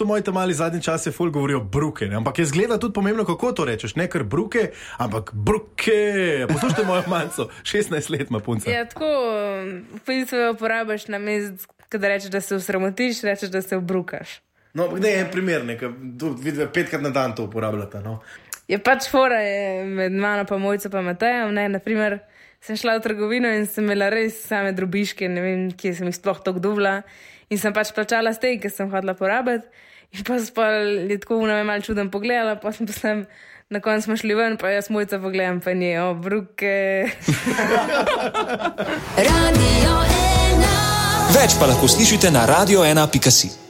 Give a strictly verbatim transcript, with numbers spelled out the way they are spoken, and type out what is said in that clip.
To moji tam mali zadnji čas je ful govorijo bruke, ne? Ampak je zgleda tudi pomembno, kako to rečeš, ne kar bruke, ampak bruke. Poslušajte mojo manjco, šestnajst let ima punca. Ja, tako, v bistvu uporabiš na mest, kada rečeš, da se usramotiš, rečeš, da se obrukaš. No, ne, en primer, nekaj, vidve, petkrat na dan to uporabljate, no. Je pač fora je med mano pa Mojco pa Matejem, ne, naprimer, sem šla v trgovino in sem imela res same drobiške, ne vem, kje sem jih sploh tako duvla in sem pač plačala stej, ker sem hodila porabiti. In pa so je tako v name malo čudem pogledala, pa sem pa sem, na koncu smo šli ven, pa jaz Mojca pogledam, pa nje, o, bruke. Radio ena. Več pa lahko slišite na radio ena pika si.